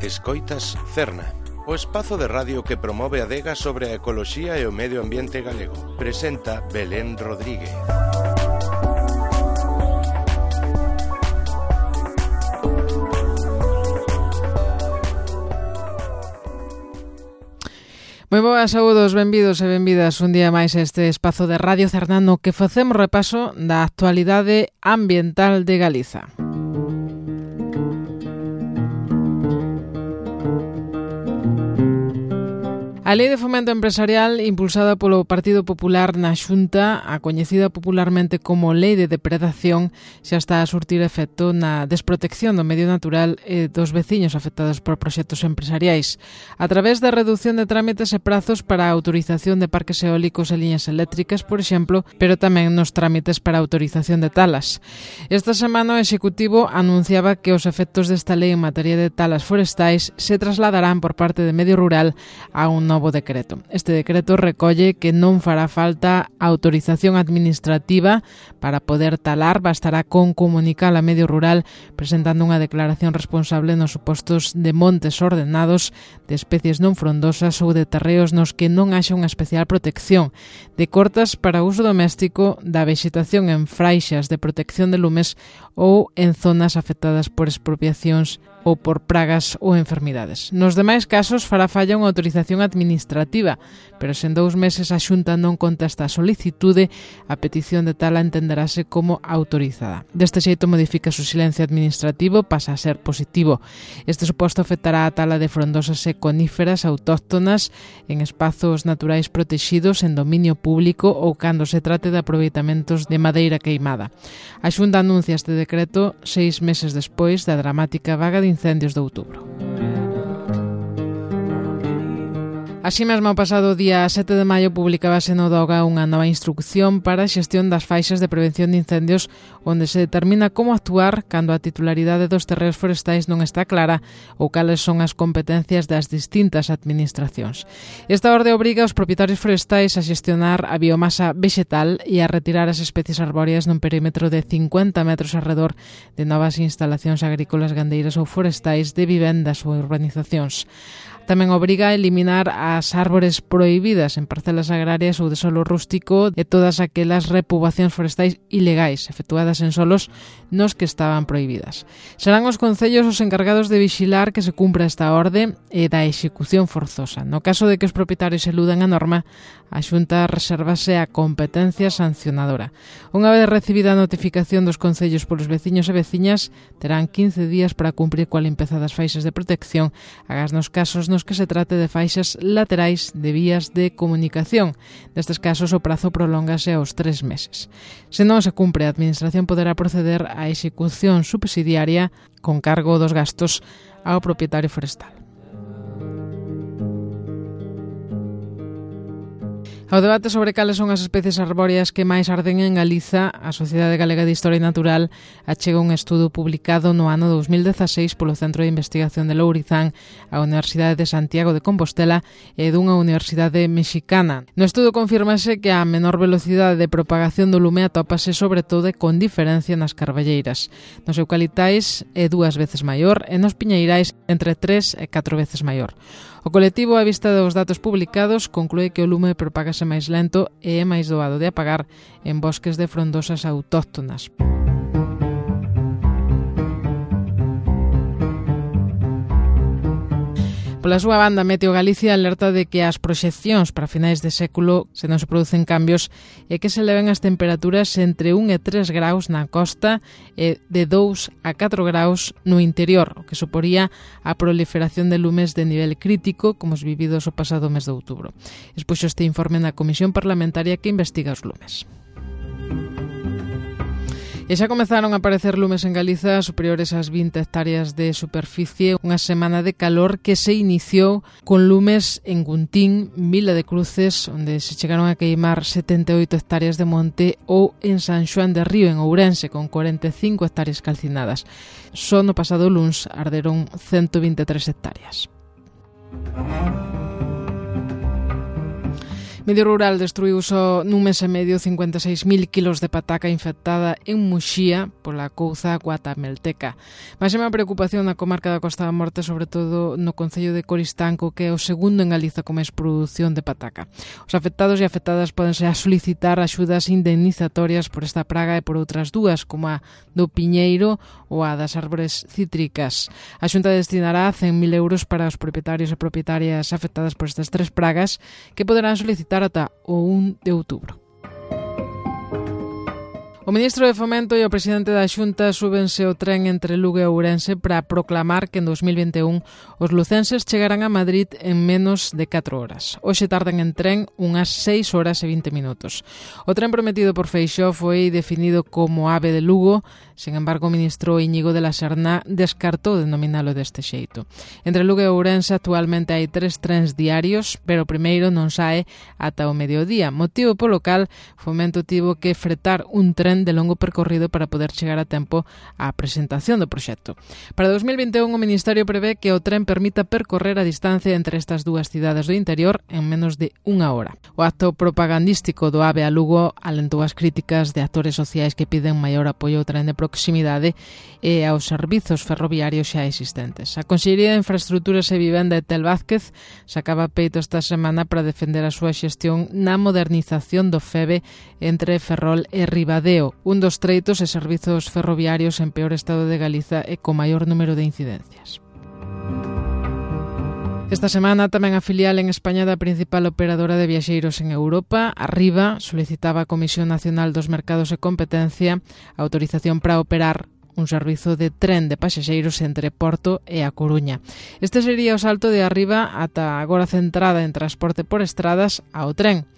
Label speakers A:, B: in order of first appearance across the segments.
A: Escoitas Cerna, o espazo de radio que promove a adega sobre a ecoloxía e o medio ambiente galego. Presenta Belén Rodríguez.
B: Moi boas, saúdos, benvidos e benvidas un día máis a este espazo de Radio Cerna no que facemos repaso da actualidade ambiental de Galiza. A Lei de Fomento Empresarial, impulsada polo Partido Popular na Xunta, a coñecida popularmente como Lei de Depredación, xa está a surtir efecto na desprotección do medio natural e dos veciños afectados por proxectos empresariais, a través da reducción de trámites e prazos para a autorización de parques eólicos e liñas eléctricas, por exemplo, pero tamén nos trámites para a autorización de talas. Esta semana o Executivo anunciaba que os efectos desta lei en materia de talas forestais se trasladarán por parte de Medio Rural a un novo decreto. Este decreto recolle que non fará falta autorización administrativa para poder talar, bastará con comunicar a Medio Rural presentando unha declaración responsable nos supostos de montes ordenados, de especies non frondosas ou de terreos nos que non haxa unha especial protección, de cortas para uso doméstico, da vexetación en fraixas de protección de lumes ou en zonas afectadas por expropiacións ou por pragas ou enfermidades. Nos demais casos fará falla unha autorización administrativa, pero se en 2 meses a Xunta non contesta a solicitude, a petición de tala entenderase como autorizada. Deste xeito modifica o silencio administrativo, pasa a ser positivo. Este suposto afectará a tala de frondosas e coníferas autóctonas en espazos naturais protexidos en dominio público ou cando se trate de aproveitamentos de madeira queimada. A Xunta anuncia este decreto 6 meses despois da dramática vaga de incendios de outubro. Así mesmo, o pasado día 7 de maio publicábase no DOGA unha nova instrucción para a xestión das faixas de prevención de incendios onde se determina como actuar cando a titularidade dos terreos forestais non está clara ou cales son as competencias das distintas administracións. Esta orde obriga aos propietarios forestais a xestionar a biomasa vexetal e a retirar as especies arbóreas nun perímetro de 50 metros arredor de novas instalacións agrícolas, gandeiras ou forestais de vivendas ou urbanizacións. Tamén obriga a eliminar as árbores prohibidas en parcelas agrarias ou de solo rústico e todas aquelas repoboacións forestais ilegais efectuadas en solos nos que estaban prohibidas. Serán os concellos os encargados de vixilar que se cumpra esta orde e da execución forzosa. No caso de que os propietarios eludan a norma, a Xunta resérvase a competencia sancionadora. Unha vez recibida a notificación dos concellos polos veciños e veciñas, terán 15 días para cumprir coa limpeza das faixas de protección, agás nos casos nos que se trate de faixas laterais de vías de comunicación. Nestes casos, o prazo prolóngase aos 3 meses. Se non se cumpre, a Administración poderá proceder á execución subsidiaria con cargo dos gastos ao propietario forestal. Ao debate sobre cales son as especies arbóreas que máis arden en Galiza, a Sociedade Galega de Historia Natural achega un estudo publicado no ano 2016 polo Centro de Investigación de Lourizán, a Universidade de Santiago de Compostela e dunha universidade mexicana. No estudo confírmase que a menor velocidade de propagación do lume atópase sobre todo con diferencia nas carballeiras. Nos eucaliptais é 2 veces maior e nos piñeirais entre 3 e 4 veces maior. O colectivo, á vista dos datos publicados, conclúe que o lume propágase máis lento e é máis doado de apagar en bosques de frondosas autóctonas. Pola súa banda, Meteo Galicia alerta de que as proxeccións para finais de século, se non se producen cambios, é que se eleven as temperaturas entre 1 e 3 graus na costa e de 2 a 4 graus no interior, o que suporía a proliferación de lumes de nivel crítico, como os vividos o pasado mes de outubro. Expuxo este informe na Comisión Parlamentaria que investiga os lumes. E xa comezaron a aparecer lumes en Galiza superiores ás 20 hectáreas de superficie, unha semana de calor que se iniciou con lumes en Guntín, Vila de Cruces, onde se chegaron a queimar 78 hectáreas de monte, ou en San Xoán de Río, en Ourense, con 45 hectáreas calcinadas. Só no pasado luns arderon 123 hectáreas. Medio Rural destruiu só nun mes e medio 56.000 kilos de pataca infectada en Muxía pola couza guatamelteca. Máxima preocupación na comarca da Costa da Morte, sobre todo no concello de Coristanco, que é o segundo en Galiza con máis produción de pataca. Os afectados e afectadas pódense a solicitar axudas indemnizatorias por esta praga e por outras dúas, como a do piñeiro ou a das árbores cítricas. A Xunta destinará 100.000 euros para os propietarios e propietarias afectadas por estas tres pragas, que poderán solicitar ata o 1 de outubro. O ministro de Fomento e o presidente da Xunta súbense o tren entre Lugo e Ourense para proclamar que en 2021 os lucenses chegarán a Madrid en menos de 4 horas. Hoxe tardan en tren unhas 6 horas e 20 minutos. O tren prometido por Feixóo foi definido como AVE de Lugo, sen embargo o ministro Íñigo de la Serna descartou denominalo deste xeito. Entre Lugo e Ourense actualmente hai 3 trens diarios, pero o primeiro non sae ata o mediodía, motivo polo cal Fomento tivo que fretar un tren de longo percorrido para poder chegar a tempo á presentación do proxecto. Para 2021 o Ministerio prevé que o tren permita percorrer a distancia entre estas dúas cidades do interior en menos de unha hora. O acto propagandístico do AVE a Lugo alentou as críticas de actores sociais que piden maior apoio ao tren de proximidade e aos servizos ferroviarios xa existentes. A Consellería de Infraestruturas e Vivenda de Tel Vázquez sacaba peito esta semana para defender a súa xestión na modernización do FEVE entre Ferrol e Ribadeo, un dos treitos e servizos ferroviarios en peor estado de Galiza e co maior número de incidencias. Esta semana tamén a filial en España da principal operadora de viaxeiros en Europa, Arriba, solicitaba a Comisión Nacional dos Mercados e Competencia a autorización para operar un servizo de tren de pasaxeiros entre Porto e A Coruña. Este sería o salto de Arriba ata agora centrada en transporte por estradas ao tren.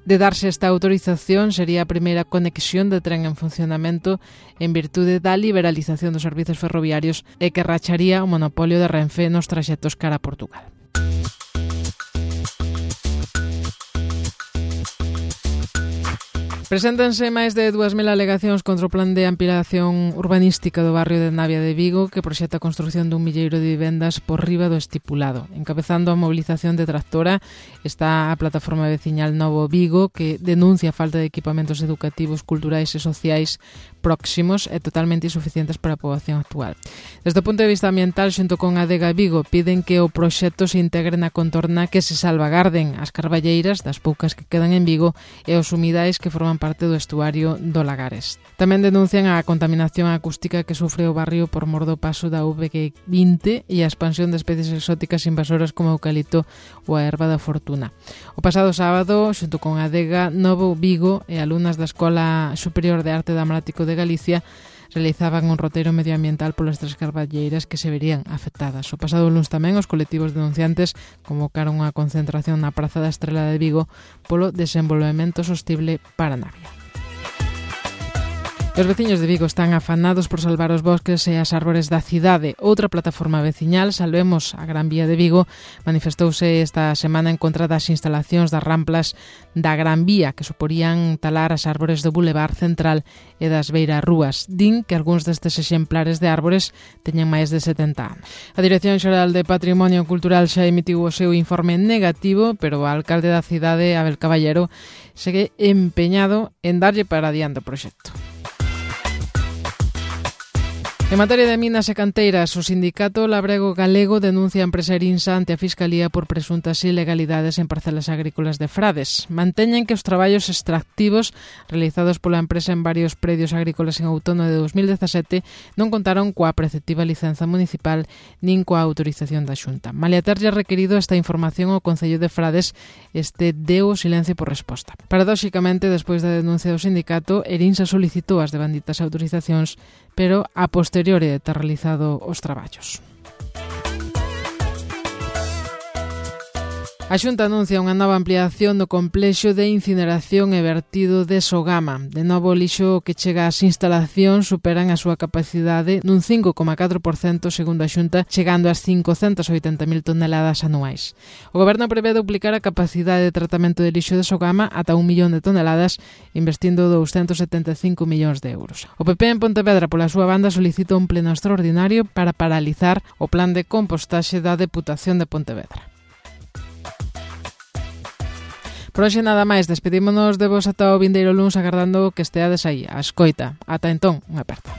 B: De darse esta autorización, sería a primeira conexión de tren en funcionamento en virtude da liberalización dos servizos ferroviarios e que racharía o monopolio de Renfe nos traxectos cara a Portugal. Preséntanse máis de 2.000 alegacións contra o plan de ampliación urbanística do barrio de Navia de Vigo, que proxecta a construción dun milleiro de vivendas por riba do estipulado. Encabezando a mobilización detractora está a plataforma veciñal Novo Vigo, que denuncia a falta de equipamentos educativos, culturais e sociais próximos e totalmente insuficientes para a poboación actual. Desde o punto de vista ambiental, xunto con a Adega Vigo, piden que o proxecto se integre na contorna, que se salvagarden as carballeiras das poucas que quedan en Vigo e os humidais que forman parte do estuario do Lagares. Tamén denuncian a contaminación acústica que sufre o barrio por mor do paso da VG20 e a expansión de especies exóticas invasoras como o eucalipto ou a erva da fortuna. O pasado sábado, xunto con a Adega Novo Vigo e alumnas da Escola Superior de Arte Dramático de Galicia, realizaban un roteiro medioambiental polas tres carballeiras que se verían afectadas. O pasado luns tamén os colectivos denunciantes convocaron unha concentración na Praza da Estrela de Vigo polo desenvolvemento sostible para Navia. Os veciños de Vigo están afanados por salvar os bosques e as árbores da cidade. Outra plataforma veciñal, Salvemos a Gran Vía de Vigo, manifestouse esta semana en contra das instalacións das ramplas da Gran Vía, que suporían talar as árbores do Boulevard Central e das beirarrúas. Din que algúns destes exemplares de árbores teñen máis de 70 anos. A Dirección Xeral de Patrimonio Cultural xa emitiu o seu informe negativo, pero o alcalde da cidade, Abel Caballero, segue empeñado en darlle para adiante o proxecto. En materia de minas e canteiras, o sindicato Labrego Galego denuncia a empresa Erinsa ante a Fiscalía por presuntas ilegalidades en parcelas agrícolas de Frades. Manteñen que os traballos extractivos realizados pola empresa en varios predios agrícolas en outono de 2017 non contaron coa preceptiva licenza municipal nin coa autorización da Xunta. Malia terlle requerido esta información ao Concello de Frades, este deu o silencio por resposta. Paradóxicamente, despois da denuncia do sindicato, Erinsa solicitou as devanditas autorizacións, pero a posteriori de ter realizado os traballos. A Xunta anuncia unha nova ampliación do complexo de incineración e vertido de Sogama. De novo, o lixo que chega ás instalacións superan a súa capacidade nun 5,4% segundo a Xunta, chegando ás 580.000 toneladas anuais. O Goberno prevé duplicar a capacidade de tratamento de lixo de Sogama ata 1 millón de toneladas, investindo 275 millóns de euros. O PP en Pontevedra, pola súa banda, solicita un pleno extraordinario para paralizar o plan de compostaxe da Deputación de Pontevedra. Por hoxe nada máis, despedímonos de vos ata o vindeiro luns agardando que esteades aí, a escoita. Ata entón, unha aperta.